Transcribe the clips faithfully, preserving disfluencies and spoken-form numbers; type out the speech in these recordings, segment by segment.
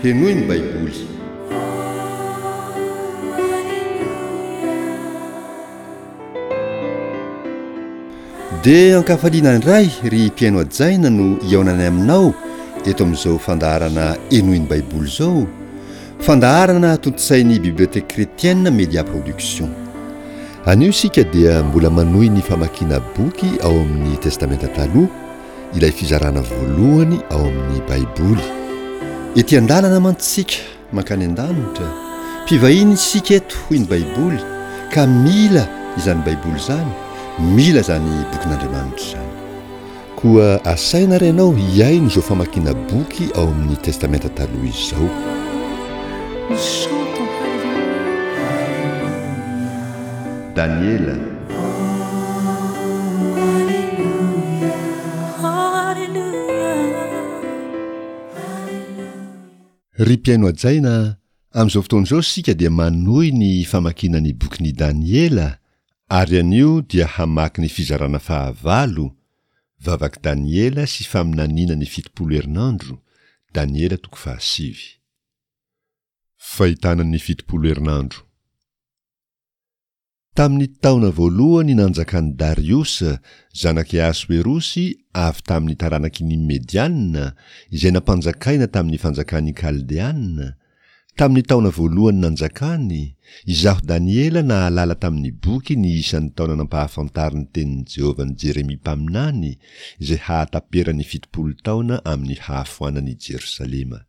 Henoy ny Baiboly. Dia ankafaliana indray ry mpihaino hajaina no hihaonanay aminao eto amin'izao fandaharana Henoy ny Baiboly izao, fandaharana tontosain'ny Bibliothèque Chrétienne Media Production. Anio isika dia mbola manohy ny famakiana boky ao amin'ny Testamenta Taloha, ilay fizarana voalohany ao amin'ny Baiboly. Ety an-dalana mantsy isika mankany an-danitra, mpivahiny isika eto hoy ny Baiboly, ka mila izany Baiboly izany, mila izany bokin'Andriamanitra izany. Koa asaina ary ianao hihaino izao famakiana boky ao amin'ny Testamenta Taloha izao. Daniela. Ry mpihaino hajaina, amin'izao fotoana izao isika dia manohy ny famakiana ny bokin'i Daniela ary anio dia hamaky ny fizarana fahavalo, Vavak'i Daniela sy faminaniana ny fitopolo herinandro, Daniela toko fahasivy. Fahitana ny fitopolo herinandro. Tamin'ny taona voalohany nanjakan'i Dariosa, zanak'i Ahasoerosy avy tamin'ny taranaky ny Mediana, izay nampanjakaina tamin'ny fanjakan'ny Kaldeana, tamin'ny taona voalohany nanjakany, izaho Daniela nahalala tamin'ny boky ny isan'ny taona nampahafantarin'ny tenin'i Jehovah an'i Jeremia mpaminany, izay hahataperan'ny fitopolo taona amin'ny hahafoanan'i Jerosalema.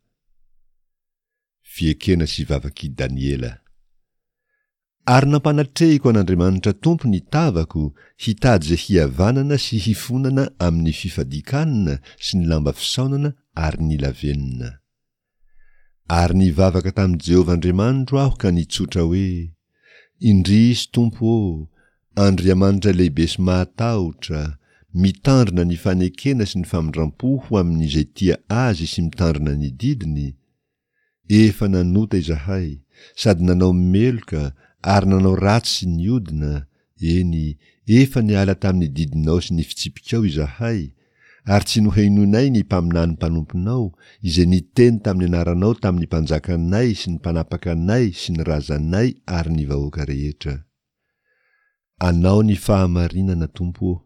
Fiekena sy vavak'i Daniela. Ary nampanatrehiko an'Andriamanitra Tompo ny tavako hitady izay hihavanana sy hifonana amin'ny fifadian-kanina sy ny lamba fisaonana ary ny lavenona. Ary nivavaka tamin'i Jehovah Andriamanitro aho ka nitsotra hoe, Indrisy Tompo ô, Andriamanitra lehibe sy mahatahotra, mitandrina ny fanekena sy ny famindram-po ho amin'izay tia Azy sy mitandrina ny didiny, efa nanota izahay, sady nanao meloka ary nanao ratsy sy niodina, eny, efa niala tamin'ny didinao sy ny fitsipikao izahay, ary tsy nohenoinay ny mpaminany mpanomponao, izay niteny tamin'ny anaranao tamin'ny mpanjakanay sy ny mpanapakanay sy ny razanay ary ny vahoaka rehetra. Anao ny fahamarinana, Tompo ô,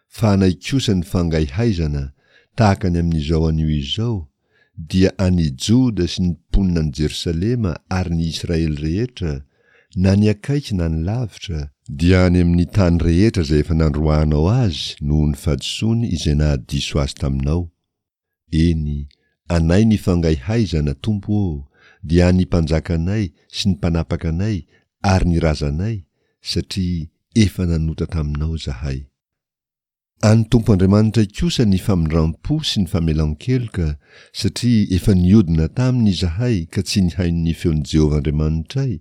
fa anay kosa ny fangaihaizana, tahaka ny amin'izao anio izao, dia an'i Joda sy ny mponina any Jerosalema ary ny Israely rehetra, na ny akaiky na ny lavitra, dia any amin'ny tany rehetra izay efa nandroahanao azy noho ny fahadisoany izay nahadiso azy taminao. Eny, anay ny fangaihaizana, Tompo ô, dia an'ny mpanjakanay sy ny mpanapaka anay ary ny razanay, satria efa nanota taminao izahay. An'ny Tompo Andriamanitray kosa ny famindram-po sy ny famelan-keloka, satria efa niodina taminy izahay ka tsy nihaino ny feon'i Jehovah Andriamanitray,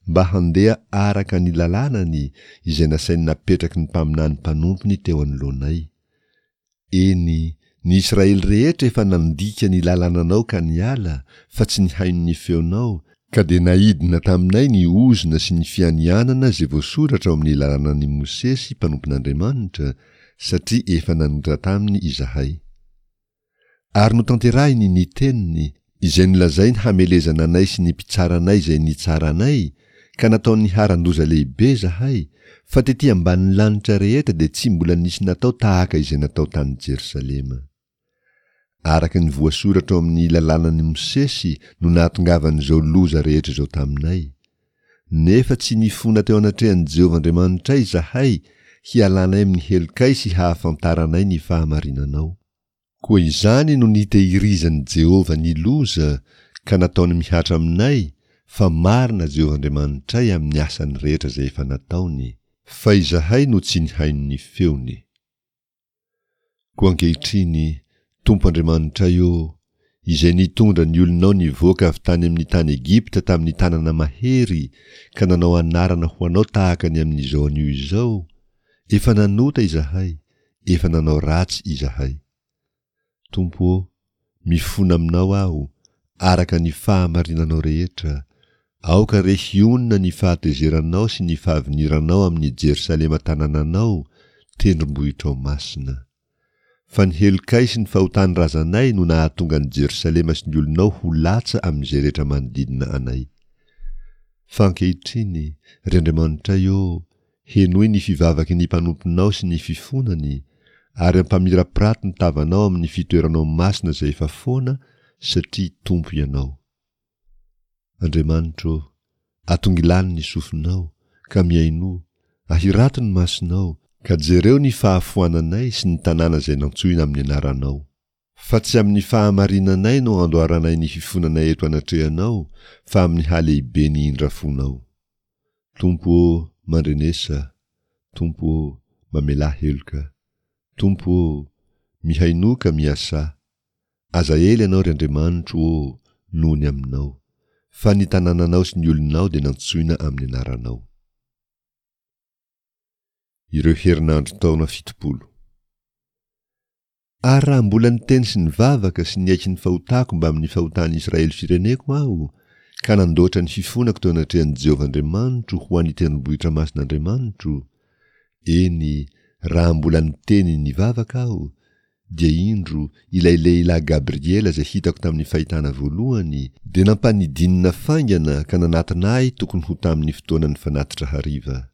mba handeha araka ny lalànany izay nasainy napetraky ny mpaminany mpanompony teo anoloanay. Eny, ny Israely rehetra efa nandika ny lalànanao ka niala, fa tsy nihaino ny feonao, ka dia naidina taminay ny ozona sy ny fianianana izay voasoratra ao amin'ny lalànan'i Mosesy mpanompon'Andriamanitra, satria efa nanota taminy izahay. Ary notanterahiny ny teniny, izay nolazainy hamelezana anay sy ny mpitsara anay izay nitsara anay, ka nataony niharan-doza lehibe izahay, fa tetỳ ambanin'ny lanitra rehetra dia tsy mbola nisy natao tahaka izay natao tany Jerosalema. Araka ny voasoratra ao amin'ny lalànan'i Mosesy no nahatongavan'izao loza rehetra izao taminay. Nefa tsy nifona teo anatrehan'i Jehovah Andriamanitray izahay hialanay amin'ny helokay sy hahafantaranay ny fahamarinanao. Koa izany no nitehirizan'i Jehovah ny loza ka nataony mihatra aminay, fa marina Jehovah Andriamanitray amin'ny asany rehetra izay efa nataony, fa izahay no tsy nihaino ny feony. Koa ankehitriny, Tompo Andriamanitray ô, izay nitondra ny olonao nivoaka avy tany amin'ny tany Egypta tamin'ny tanana mahery ka nanao anarana ho anao tahaka ny amin'izao anio izao, efa nanota izahay, efa nanao ratsy izahay. Tompo ô, mifona aminao aho, araka ny fahamarinanao rehetra, aoka re hionona ny fahatezeranao sy ny fahaviniranao amin'i Jerosalema tanànanao, tendrombohitrao masina. Fa ny helokay sy ny fahotan'ny razanay no nahatonga an'i Jerosalema sy ny olonao ho latsa amin'izay rehetra manodidina anay. Fa ankehitriny, ry Andriamanitray ô, henoy ny fivavaky ny mpanomponao sy ny fifonany, ary ampamirapirato ny tavanao amin'ny fitoeranao masina izay efa foana, satria Tompo Ianao. Andriamanitro ô, atongilano ny sofinao, ka mihainoa, ahirato ny masonao, ka jereo ny fahafoananay sy ny tanàna izay nantsoina amin'ny anaranao. Fa tsy amin'ny fahamarinanay no andoaranay ny fifonanay eto anatrehanao, fa amin'ny halehiben'ny indrafonao. Tompo ô, mandrenesa! Tompo ô, mamelà heloka! Tompo ô, mihainoa ka miasà! Aza ela Ianao, ry Andriamanitro ô, noho ny aminao, fa ny tanànanao sy ny olonao dia nantsoina amin'ny anaranao. Ireo herinandro taona fitopolo. Ary raha mbola niteny sy nivavaka sy niaiky ny fahotako mbamin'ny fahotan'ny Israely fireneko aho, ka nandoatra ny fifonako teo anatrehan'i Jehovah Andriamanitro ho an'ny tendrombohitra masin'Andriamanitro, eny, raha mbola niteny nivavaka aho, dia indro, ilay lehilahy Gabriela izay hitako tamin'ny fahitana voalohany, dia nampanidinina faingana ka nanatona ahy tokony ho tamin'ny fotoanan'ny fanatitra hariva.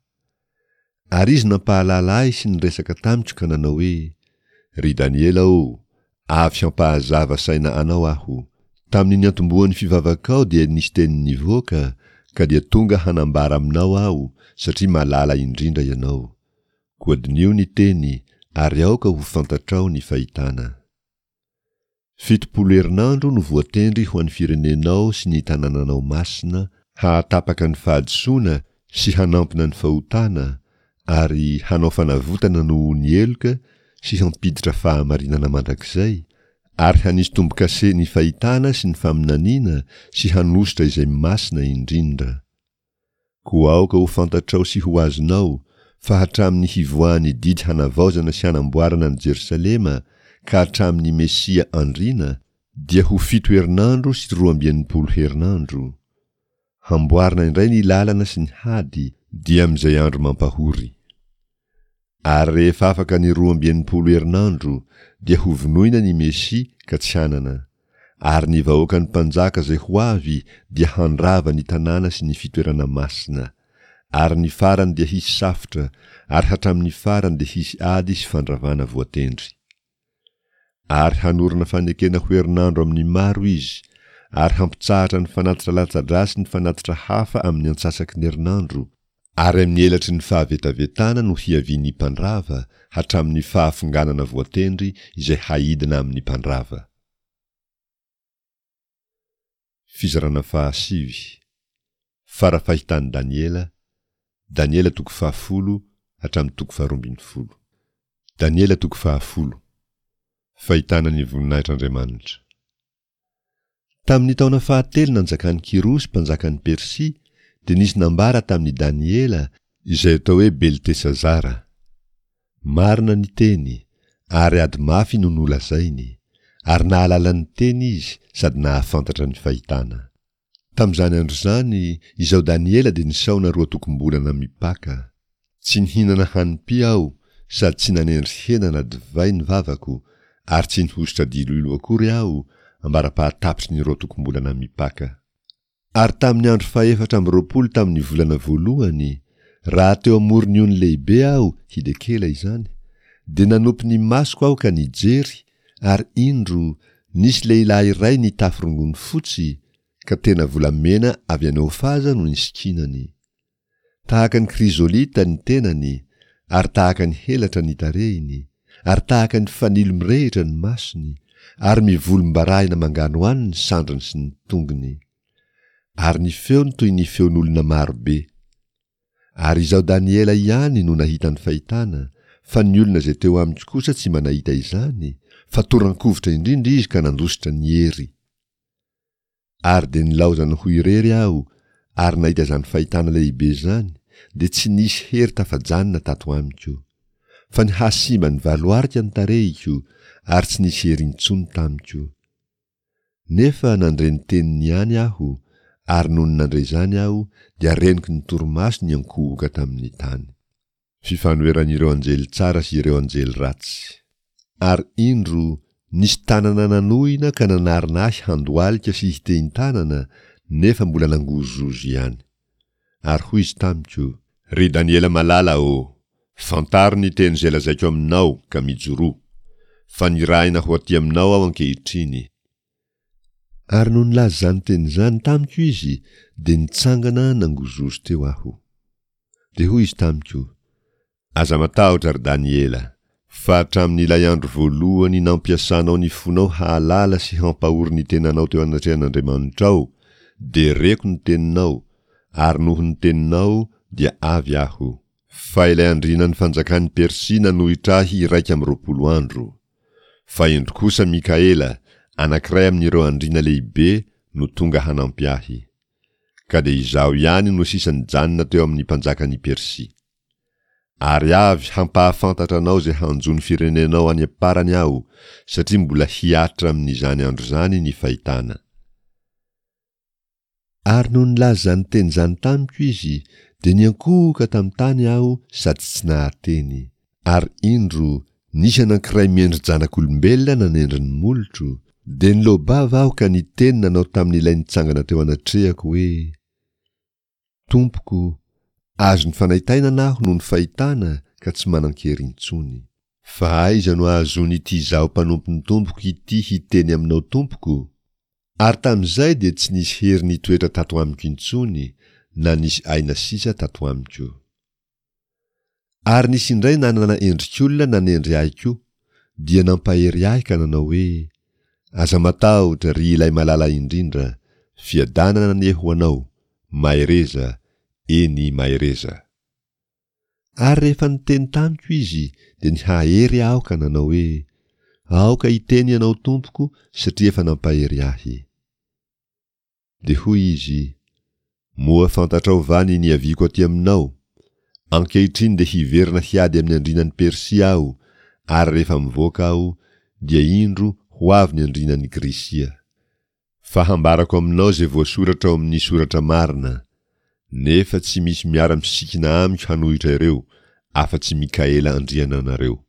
Ary izy nampahalala ahy sy niresaka tamiko ka nanao hoe, Ry Daniela ô, avy hampahazava saina anao aho. Tamin'ny niantombohan'ny fivavakao dia nisy teny nivoaka, ka dia tonga hanambara aminao aho, satria malala indrindra ianao. Koa diniho ny teny, ary aoka ho fantatrao ny fahitana. Fitopolo herinandro no voatendry ho an'ny firenenao sy ny tanànanao masina, hahatapaka ny fahadisoana sy hanampina ny fahotana, ary hanao fanavotana noho ny heloka sy hampiditra fahamarinana mandrakizay, ary hanisy tombo-kase ny fahitana sy ny faminaniana sy hanosotra izay masina indrindra. Koa aoka ho fantatrao sy ho azonao, fa hatramin'ny hivoahan'ny didy hanavaozana sy hanamboarana an'i Jerosalema ka hatramin'ny Mesia andriana, dia ho fito herinandro sy roa amby enimpolo herinandro. Hamboarina indray ny lalana sy ny hady, dia amin'izay andro mampahory. Ary rehefa afaka ny roa amby enimpolo herinandro, dia hovonoina ny Mesia ka tsy hanana. Ary ny vahoakan'ny mpanjaka izay ho avy dia handrava ny tanàna sy ny fitoerana masina. Ary ny farany dia hisy safotra, ary hatramin'ny farany dia hisy ady sy fandravana voatendry. Ary hanorina fanekena ho herinandro amin'ny maro izy, ary hampitsahatra ny fanatitra latsa-drà sy ny fanatitra hafa amin'ny antsasaky ny herinandro, ary amin'ny elatry ny fahavetavetana no hiavian'ny mpandrava, hatramin'ny fahafonganana voatendry izay haidina amin'ny mpandrava. Fizarana fahasivy. Fara-fahitan'i Daniela, Daniela toko fahafolo hatramin'ny toko faharoa ambin'ny folo. Daniela toko fahafolo. Fahitana ny voninahitr'Andriamanitra. Tamin'ny taona fahatelo nanjakan'i Kyrosy mpanjakan'i Persia, dia nisy nambara tamin'i Daniela, izay atao hoe Beltesazara. Marina ny teny, ary ady mafy no nolazainy, ary nahalala ny teny izy sady nahafantatra ny fahitana. Tamin'izany andro izany, izaho Daniela dia nisaona roa tokom-bolana mipaka. Tsy nihinana hanim-py aho, sady tsy nanendry hena na divay ny vavako, ary tsy nihosotra diloilo akory aho, ambara-pahatapitry ny roa tokom-bolana mipaka. Ary tamin'ny andro fahefatra amby roapolo tamin'ny volana voalohany, raha teo amoron'ny ony lehibe aho, Hidekela izany, dia nanopy ny masoko aho ka nijery, ary indro, nisy lehilahy iray nitafy rongony fotsy, ka tena volamena avy any Ofaza no nisikinany. Tahaka ny krizolita ny tenany, ary tahaka ny helatra ny tarehiny, ary tahaka ny fanilo mirehitra ny masony, ary mivolombarahina manganohano ny sandriny sy ny tongony. Ary ny feony toy ny feon'olona maro be. Ary izaho Daniela ihany no nahita ny fahitana, fa ny olona izay teo amiko kosa tsy mba nahita izany, fa toran-kovitra indrindra izy ka nandositra ny hery. Ary dia nilaozany ho irery aho, ary nahita izany fahitana lehibe izany, dia tsy nisy hery tafajanona tato amiko. Fa nihasimba nivaloarika ny tarehiko, ary tsy nisy hery intsony tamiko. Nefa nandre ny teniny ihany aho, ary nony nandre izany aho, dia reniko ny torimaso niankohoka tamin'ny tany. Fifanoheran'ireo anjely tsara sy ireo anjely ratsy. Ary indro, nisy tanana nanohina ka nanarona ahy handohalika sy hitehin-tanana, nefa mbola nangozohozo ihany. Ary hoy izy tamiko, Ry Daniela malala ô, fantaro ny teny izay lazaiko aminao ka mijoroa, fa nirahina ho aty aminao aho ankehitriny. Ary nony nilaza izany teny izany tamiko izy, dia nitsangana nangozohozo teo aho. Dia hoy izy tamiko, Aza matahotra, ry Daniela, fa hatramin'ilay andro voalohany nampiasanao ny fonao hahalala sy hampahory ny tenanao teo anatrehan'Andriamanitrao, dia reko ny teninao, ary noho ny teninao dia avy aho. Fa ilay andrianan'ny fanjakan'i Persia nanohitra ahy iraika amby roapolo andro. Fa indro kosa Mikaela, anankiray amin'ireo andriana lehibe, no tonga hanampy ahy. Ka dia izaho ihany no sisa nijanona teo amin'ny mpanjakan'i Persia. Ary avy hampahafantatra anao izay hanjo ny firenenao any am-parany aho, satria mbola hihatra amin'izany andro izany ny fahitana. Ary nony nilaza izany teny izany tamiko izy, dia niankohoka tamin'ny tany aho sady tsy nahateny. Ary indro, nisy anankiray miendri-janak'olombelona nanendry ny molotro, dia niloa-bava aho ka niteny nanao tamin'ilay nitsangana teo anatrehako hoe, Tompoko, azon'ny fanaintainana aho noho ny fahitana ka tsy manan-kery intsony. Fa aiza no ahazoan'ity izaho mpanompon'ny Tompoko ity hiteny aminao tompoko? Ary tamin'izay dia tsy nisy hery nitoetra tato amiko intsony, na nisy aina sisa tato amiko. Ary nisy indray nanana endrik'olona nanendry ahy koa, dia nampahery ahy ka nanao hoe, Aza matahotra, ry ilay malala indrindra, fiadanana anie ho anao, mahereza, eny, mahereza. Ary rehefa niteny tamiko izy, dia nihahery aho ka nanao hoe, Aoka hiteny ianao tompoko, satria efa nampahery ahy. Dia hoy izy, Moa fantatrao va ny niaviako aty aminao? Ankehitriny dia hiverina hiady amin'ny andrianan'i Persia aho, ary rehefa mivoaka aho, dia indro ho avy ny andrianan'i Grisia. Fa hambarako aminao izay voasoratra ao amin'ny soratra marina, nefa tsy misy miara-misikina amiko hanohitra ireo, afa-tsy Mikaela andriananareo.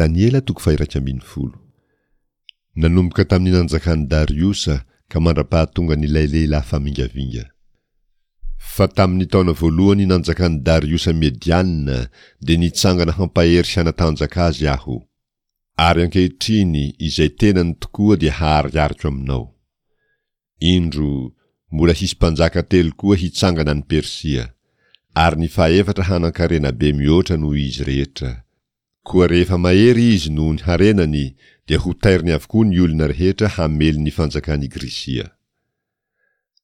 Daniela toko faha-iraika ambin'ny folo. Nanomboka tamin'ny nanjakan'i Dariosa ka mandra-pahatongan'ilay lehilahy famingavinga. Fa tamin'ny taona voalohany nanjakan'i Dariosa Mediana dia nitsangana hampahery sy hanatanjaka azy aho. Ary ankehitriny izay tenany tokoa dia haharihariko aminao. Indro, mbola hisy mpanjaka telo koa hitsangana any Persia, ary ny fahefatra hanan-karena be mihoatra noho izy rehetra. Koa rehefa mahery izy noho ny harenany dia hotairiny avokoa ny olona rehetra hamely ny fanjakan'i Grisia.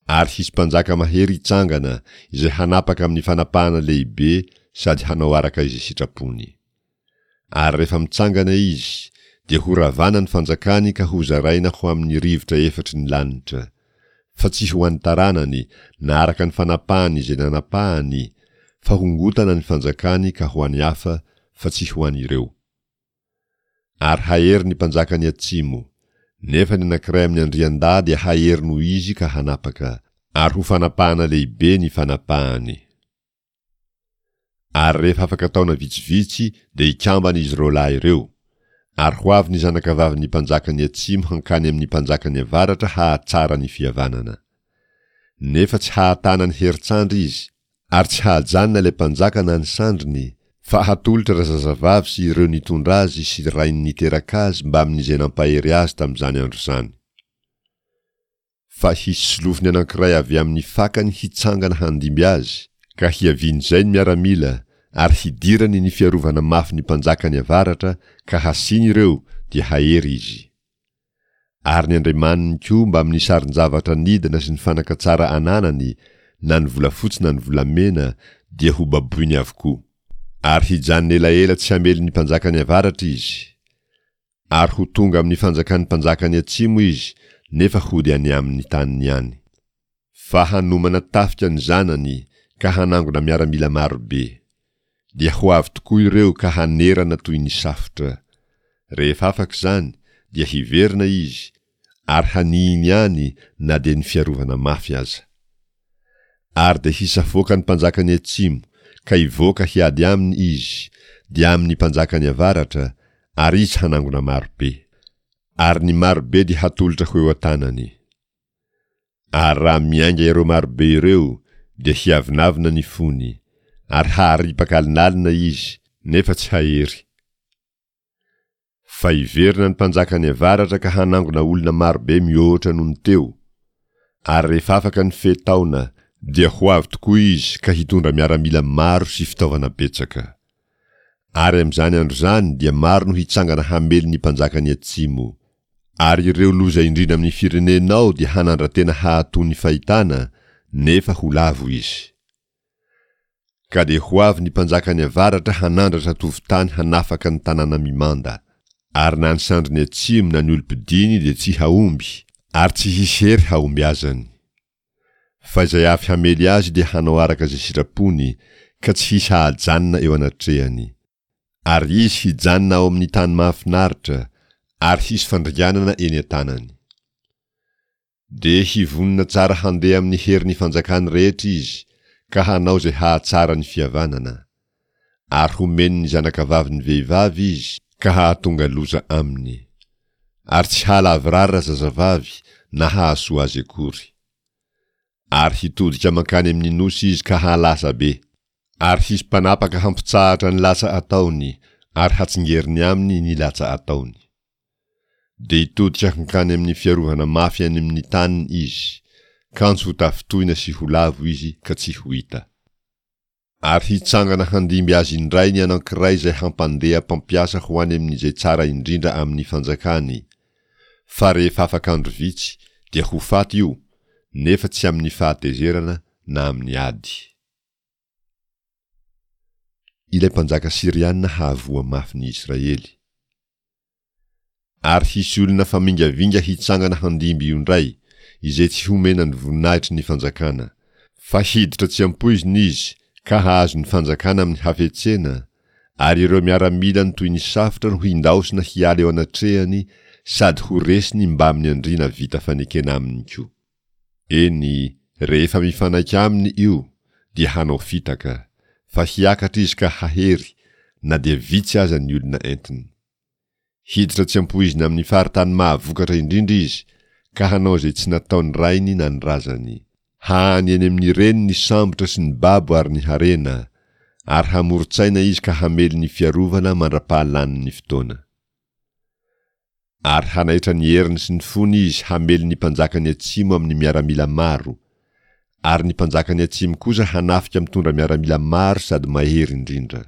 Ary hisy mpanjaka mahery hitsangana izay hanapaka amin'ny fanapahana lehibe sady hanao araka izay sitrapony. Ary rehefa mitsangana izy, dia horavana ny fanjakany ka hozaraina ho amin'ny rivotra efatry ny lanitra, fa tsy ho an'ny taranany na araka ny fanapahany izay nanapahany, fa hongotana ny fanjakany ka ho an'ny hafa, fa tsy ho an'ireo. Ary hahery ny mpanjakan'ny atsimo, nefa ny anankiray amin'ny andriandahy dia hahery noho izy ka hanapaka, ary ho fanapahana lehibe ny fanapahany. Ary rehefa afaka taona vitsivitsy dia hikambana izy roa lahy ireo, ary ho avy ny zanakavavin'ny mpanjakan'ny atsimo hankany amin'ny mpanjakan'ny avaratra hahatsara ny fihavanana. Nefa tsy hahatana ny herin-tsandry izy, Ary tsy hahajanona ilay mpanjaka na ny sandriny, fa hatolotra razazavavy sy ireo nitondra azy sy rainy niteraka azy mbamin'izay nampahery azy tamin'izany andro izany. Fa hisy solofony anankiray avy amin'ny fakany hitsangana handimby azy, ka hiavian'izay ny miaramila, ary hidirany ny fiarovana mafy ny mpanjakan'ny avaratra, ka hasiany ireo, dia hahery izy. Ary ny andriamaniny koa mbamin'ny sarin-javatra nidina sy ny fanaka tsara ananany, na ny volafotsy na ny volamena, dia hobaboiny avokoa. Ary hijanona elaela tsy hamely ny mpanjakan'ny avaratra izy. Ary ho tonga amin'ny fanjakan'ny mpanjakan'ny atsimo izy, nefa hody any amin'ny taniny ihany. Fa hanomana tafika ny zanany ka hanangona miaramila maro be. Dia ho avy tokoa ireo ka hanerana toy ny safotra. Rehefa afaka izany, dia hiverina izy, ary hanihiny any na dia ny fiarovana mafy aza. Ary dia hisafoaka ny mpanjakan'ny atsimo, ka hivoaka hiady aminy izy, dia amin'ny mpanjakan'ny avaratra, ary izy hanangona maro be. Ary ny maro be dia hatolotra ho eo an-tanany. Ary raha miainga ireo marobe ireo, dia hiavonavona ny fony, ary haharipaka alinalina izy, nefa tsy hahery. Fa hiverina ny mpanjakan'ny avaratra ka hanangona olona marobe mihoatra noho ny teo, ary rehefa afaka ny fe taona, dia ho avy tokoa izy ka hitondra miaramila maro sy fitaovana betsaka. Ary amin'izany andro izany dia maro no hitsangana hamely ny mpanjakan'ny atsimo. Ary ireo loza indrindra amin'ny firenenao dia hanandra-tena hahatoa ny fahitana, nefa ho lavo izy. Ka dia ho avy ny mpanjakan'ny avaratra hanandratra tovon-tany hanafaka ny tanàna mimanda. Ary na ny sandriny atsimo na ny olom-pidiny dia tsy hahomby, ary tsy hisy hery hahombiazany. Fa izay avy hamely azy dia hanao araka izay sitrapony, ka tsy hisy hahajanona eo anatrehany. Ary izy hijanona ao amin'ny tany mahafinaritra, ary hisy fandringanana eny an-tanany. Dia hivonona tsara handeha amin'ny herin'ny fanjakany rehetra izy, ka hanao izay hahatsara ny fihavanana. Ary homeny ny zanakavavin'ny vehivavy izy, ka hahatonga loza aminy. Ary tsy hahalavorary razazavavy na hahasoa azy akory. Ary hitodika mankany amin'ny nosy izy ka hahalasa be. Ary hisy mpanapaka hampitsahatra ny latsa ataony, ary hatsingeriny aminy ny latsa ataony. Dia hitodika hankany amin'ny fiarovana mafy any amin'ny taniny izy, kanjo ho tafintohina sy ho lavo izy ka tsy ho hita. Ary hitsangana handimby azy indray ny anankiray izay hampandeha mpampiasa ho any amin'izay tsara indrindra amin'ny fanjakany, fa rehefa afaka andro vitsy dia ho faty io, nefa tsy amin'ny fahatezerana na amin'ny ady. Ilay mpanjaka syriana hahavoa mafy ny Israely. Ary hisy olona famingavinga hitsangana handimby io indray, izay tsy homena ny voninahitry ny fanjakana. Fa hiditra tsy ampoizina izy ka hahazo ny fanjakana amin'ny hafetsena, ary ireo miaramilany toy ny safotra no hindaosina hiala eo anatrehany sady ho resiny mbamin'ny andriana vita fanekena aminy koa. Eny, rehefa mifanaiky aminy io, dia hanao fitaka, fa hiakatra izy ka hahery, na dia vitsy aza ny olona entiny. Hiditra tsy ampoizina amin'ny faritany mahavokatra indrindra izy, ka hanao izay tsy nataon'ny rainy na ny razany. Hahany eny amin'ny reny ny sambotra sy ny babo ary ny harena, ary hamoron-tsaina izy ka hamely ny fiarovana mandra-pahalanin'ny fotoana. Ary hanaitra ny heriny sy ny fony izy hamely ny mpanjakan'ny atsimo amin'ny miaramila maro, ary ny mpanjakan'ny atsimo kosa hanafika mitondra miaramila maro sady mahery indrindra.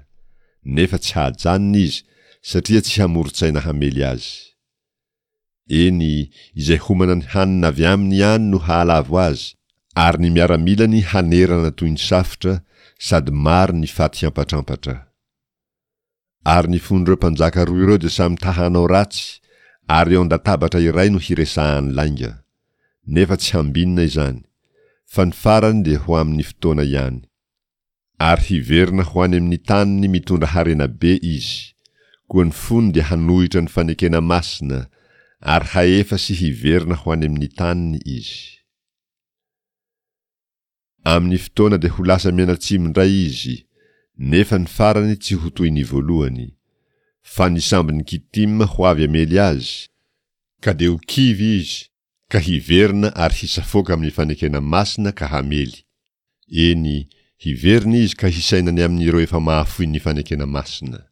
Nefa tsy hahajanona izy, satria tsy hamoron-tsaina hamely azy. Eny, izay homana ny hanina avy aminy ihany no hahalavo azy, ary ny miaramilany hanerana toy ny safotra, sady maro ny faty hiampatrampatra. Ary ny fon'ireo mpanjaka roa ireo dia samy ta-hanao ratsy, ary eo an-databatra iray no hiresahany lainga. Nefa tsy hambinina izany, fa ny farany dia ho amin'ny fotoana ihany. Ary hiverina ho any amin'ny taniny mitondra harena be izy. Koa ny fony dia hanohitra ny fanekena masina, ary hahefa sy hiverina ho any amin'ny taniny izy. Amin'ny fotoana dia ho lasa mianatsimo indray izy, nefa ny farany tsy ho toy ny voalohany. Fa ny sambon'i Kitima ho avy hamely azy, ka dia ho kivy izy, ka hiverina ary hisafoaka amin'ny fanekena masina ka hamely. Eny, hiverina izy ka hisaina ny amin'ireo efa mahafoy ny fanekena masina.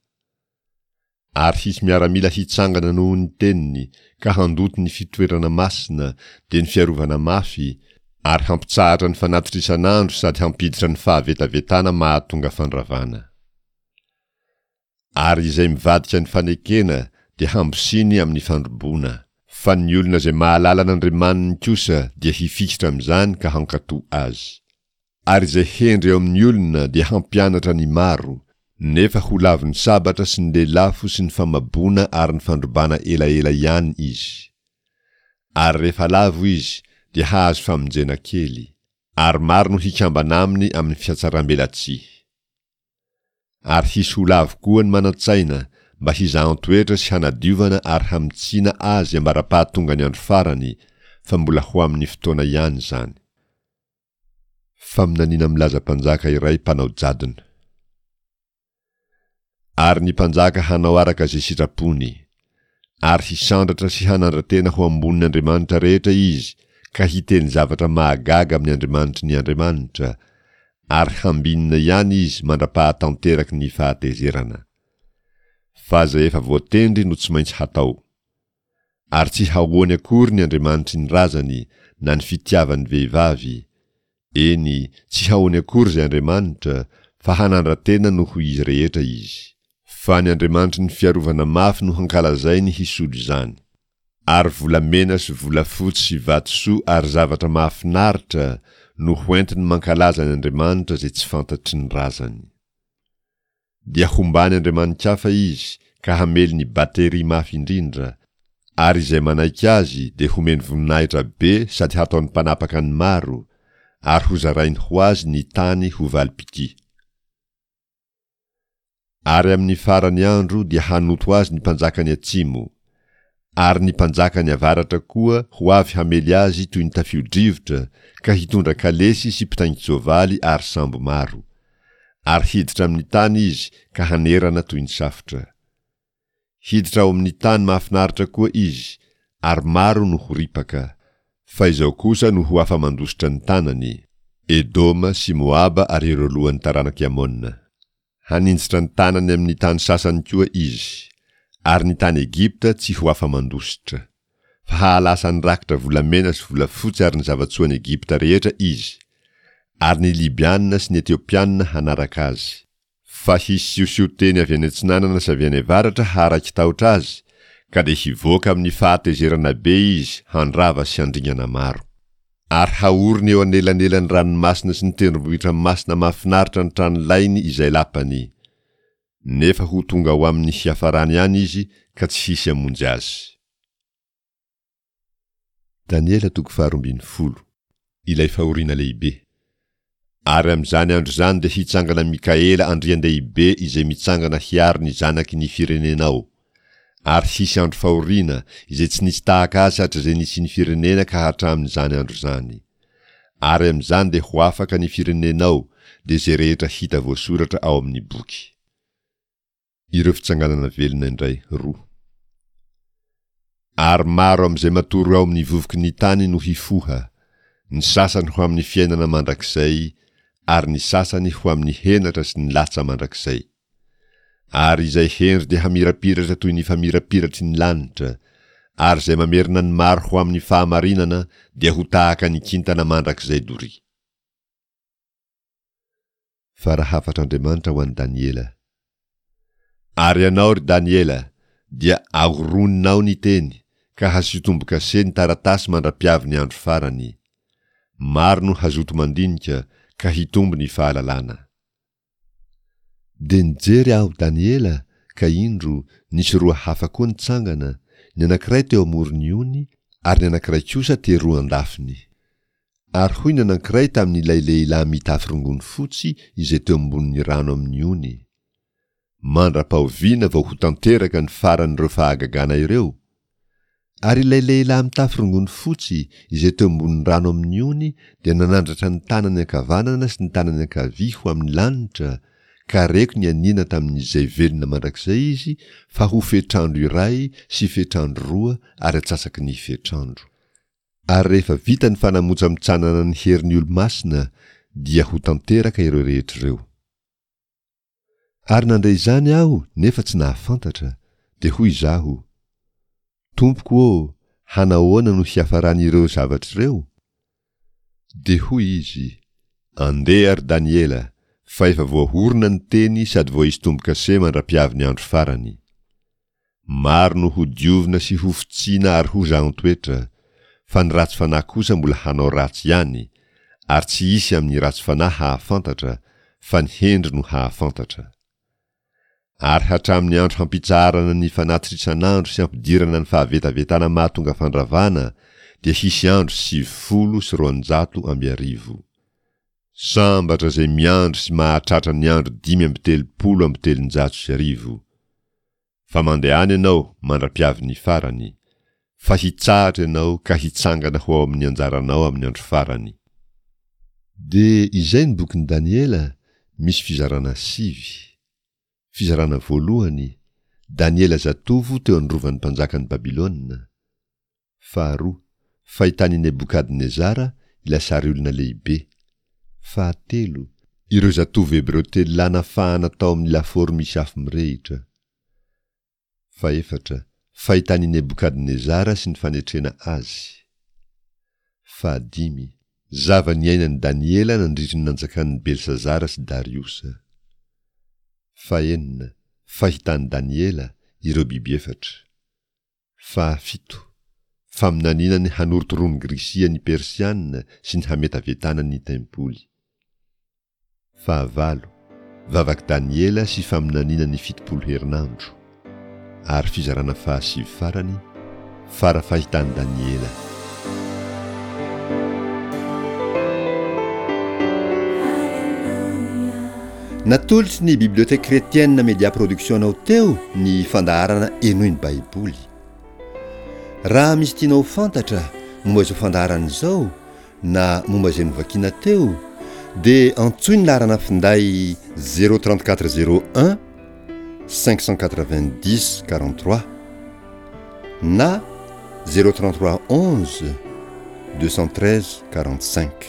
Ary hisy miaramila hitsangana noho ny teniny ka handoto ny fitoerana masina, dia ny fiarovana mafy, ary hampitsahatra ny fanatitra isan'andro sady hampiditra ny fahavetavetana mahatonga fandravana. Ary izay mivadika ny fanekena dia hambosiny amin'ny fandroboana, fa ny olona izay mahalala an'Andriamaniny kosa dia hifikitra amin'izany ka hankatò azy. Ary izay hendry eo amin'ny olona dia hampianatra ny maro, nefa ho lavin'ny sabatra sy ny lelafo sy ny famaboana ary ny fandrobana elaela ihany izy. Ary rehefa lavo izy dia hahazo famonjena kely, ary maro no hikambana aminy amin'ny fihatsarambelatsihy. Ary hisy ho lavo koa ny manan-tsaina mba hizahan-toetra sy hanadiovana ary hamintsiana azy ambara-pahatongan'ny andro farany, fa mbola ho amin'ny fotoana ihany izany. Faminaniana milaza mpanjaka iray mpanao jadona. Ary ny mpanjaka hanao araka izay sitrapony. Ary hisandratra sy hanandra-tena ho ambonin'ny andriamanitra rehetra izy ka hiteny zavatra mahagaga amin'ny andriamanitry ny andriamanitra, ary hambinina ihany izy mandra-pahatanteraky ny fahatezerana. Fa izay efa voatendry no tsy maintsy hatao. Ary tsy hahoany akory ny andriamanitry ny razany na ny fitiavan'ny vehivavy, eny, tsy hahoany akory izay andriamanitra, fa hanandra-tena noho izy rehetra izy. Fa ny andriamanitry ny fiarovana mafy no hankalazainy hisolo izany. Ary volamena sy volafotsy sy vatosoa ary zavatra mahafinaritra no hoentiny mankalaza ny andriamanitra izay tsy fantatry ny razany. Dia hombany andriamani-kafa izy ka hamely ny bateria mafy indrindra, ary izay manaiky azy dia homeny voninahitra be sady hataony mpanapaka ny maro, ary hozarainy ho azy ny tany ho valim-pitia. Ary amin'ny farany andro dia hanoto azy ny mpanjakan'ny atsimo, ary ny mpanjakan'ny avaratra koa ho avy hamely azy toy ny tafio-drivotra ka hitondra kalesy sy mpitaingin-tsoavaly ary sambo maro. Ary hiditra amin'ny tany izy ka hanerana toy ny safotra. Hiditra ao amin'ny tany mahafinaritra koa izy, ary maro no ho ripaka. Fa izao kosa no ho afa-mandositra ny tanany, Edoma sy Moaba ary ireo lohan'ny taranak'i Amona. Haninjitra ny tanany amin'ny tany sasany koa izy, ary ny tany Egypta tsy ho afa-mandositra. Fa hahalasa ny rakitra volamena sy volafotsy ary ny zava-tsoan'i Egypta rehetra izy, ary ny Libiana sy ny Etiopiana hanaraka azy. Fa hisy siosion-teny avy any atsinanana sy avy any avaratra haharaiki-tahotra azy, ka dia hivoaka amin'ny fahatezerana be izy handrava sy handringana maro. Ary haoriny eo anelanelan'ny ranomasina sy ny tendrombohitra masina mahafinaritra ny tranolainy izay lapany. Nefa ho tonga ao amin'ny hiafarany ihany izy ka tsy hisy hamonjy azy. Daniela toko faharoa ambin'ny folo. Ilay fahoriana lehibe. Ary amin'izany andro izany dia hitsangana Mikaela andrian-dehibe izay mitsangana hiaro ny zanaky ny firenenao. Ary hisy andro fahoriana izay tsy nisy tahaka azy hatrizay nisian'ny firenena ka hatramin'izany andro izany. Ary amin'izany dia ho afaka ny firenenao, dia izay rehetra hita voasoratra ao amin'ny boky. Ireo fitsanganana velona indray roa. Ary maro amin'izay matory ao amin'ny vovoky ny tany no hifoha, ny sasany ho amin'ny fiainana mandrakizay, ary ny sasany ho amin'ny henatra sy ny latsa mandrakizay. Ary izay hendry dia hamirapiratra toy ny famirapiratry ny lanitra, ary izay mamerina ny maro ho amin'ny fahamarinana dia ho tahaka ny kintana mandrakizay doria. Fara hafatr'Andriamanitra ho an'i Daniela. Ary ianao, ry Daniela, dia ahoroninao ny teny, ka hasio tombo-kase ny taratasy mandra-piavy ny andro farany. Maro no hazoto mandinika, ka hitombo ny fahalalana. Dia nijery aho, Daniela, ka indro, nisy roa hafa koa nitsangana, ny anankiray teo amoron'ny ony, ary ny anankiray kosa teroa an-dafiny. Ary hoy ny anankiray tamin'ilay lehilahy mitafy rongony fotsy izay teo ambonin'ny rano amin'ny ony, Mandra-pahoviana vao ho tanteraka ny faran'ireo fahagagana ireo? Ary ilay lehilahy mitafy rongony fotsy izay teo ambonin'ny rano amin'ny ony dia nanandratra ny tanany ankavanana sy ny tanany ankavia ho amin'ny lanitra, ka reko nianiana tamin'izay velona mandrakizay izy fa ho fetr'andro iray sy fetr'andro roa ary atsasaky ny fetr'andro. Ary rehefa vita ny fanamotsamotsanana ny herin'ny olo-masina dia ho tanteraka ireo rehetra ireo. Ary nandre izany aho nefa tsy nahafantatra, dia hoy izaho, Tompoko ô, hanahoana no hiafaran'ireo zavatra ireo? Dia hoy izy, Andeha, ry Daniela, fa efa voahorona ny teny sady voaisy tombo-kase mandra-piavy ny andro farany. Maro no hodiovina sy hofotsiana ary ho zahan-toetra, fa ny ratsy fanahy kosa mbola hanao ratsy ihany, ary tsy hisy amin'ny ratsy fanahy hahafantatra, fa ny hendry no hahafantatra. Ary hatramin'ny andro hampitsaharana ny fanatitra isan'andro sy hampidirana ny fahavetavetana mahatonga fandravana dia hisy andro sivifolo sy roanjato amby arivo. Sambatra izay miandry sy mahatratra ny andro dimy amby telopolo amby telonjato sy arivo. Fa mandehana ianao mandra-piavin'ny farany, fa hitsahatra ianao ka hitsangana ho ao amin'ny anjaranao amin'ny andro farany. Dia izay ny bokin'i Daniela, misy fizarana sivy. Fizarana voalohany, Daniela zatovo teo an-drovan'ny mpanjakan'i Babylona. Faharoa, fahitan'i Nebokadnezara ilay sary olona lehibe. Fahatelo, ireo zatovo hebreo telo lahy nafahana tao amin'ny lafaoro misy afo mirehitra. Fahefatra, fahitan'i Nebokadnezara sy ny fanetrena azy. Fahadimy, zava-niainan'i Daniela nandritry ny nanjakan'i Belsazara sy Dariosa. Fahenina, fahitan'i Daniela ireo biby efatra. Fahafito, faminaniana ny hanorotoroan'i Grisia ny Persiana sy ny hametavetana ny tempoly. Fahavalo, vavak'i Daniela sy faminaniana ny fitopolo herinandro. Ary fizarana fahasivy farany, fara fahitan'i Daniela. Natolotry ny Bibliothèque Chrétienne Media Production anao teo ny fandaharana Henoy ny Baiboly. Raha misy tianao ho fantatra momba izao fandaharana izao na momba izay novakiana teo dia antsoy ny laharana finday zéro trente quatre zéro un cinq cent quatre-vingt-dix quarante-trois na zéro trente-trois onze deux cent treize quarante-cinq.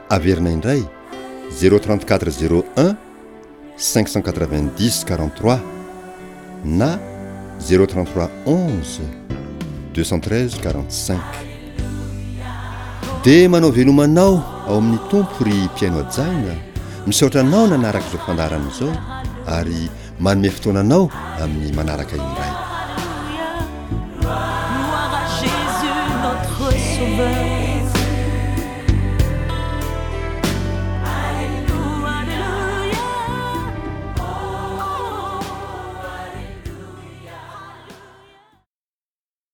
Averina indray zéro trente-quatre zéro un cinq cent quatre-vingt-dix quarante-trois na zéro trente-trois onze deux cent treize quarante-cinq. Dia manao veloma anao ao amin'ny Tompo ry mpihaino hajaina, misaotra anao nanaraka izao fandaharana izao ary manome fotoana anao amin'ny manaraka indray. Gloire à Jésus notre sauveur.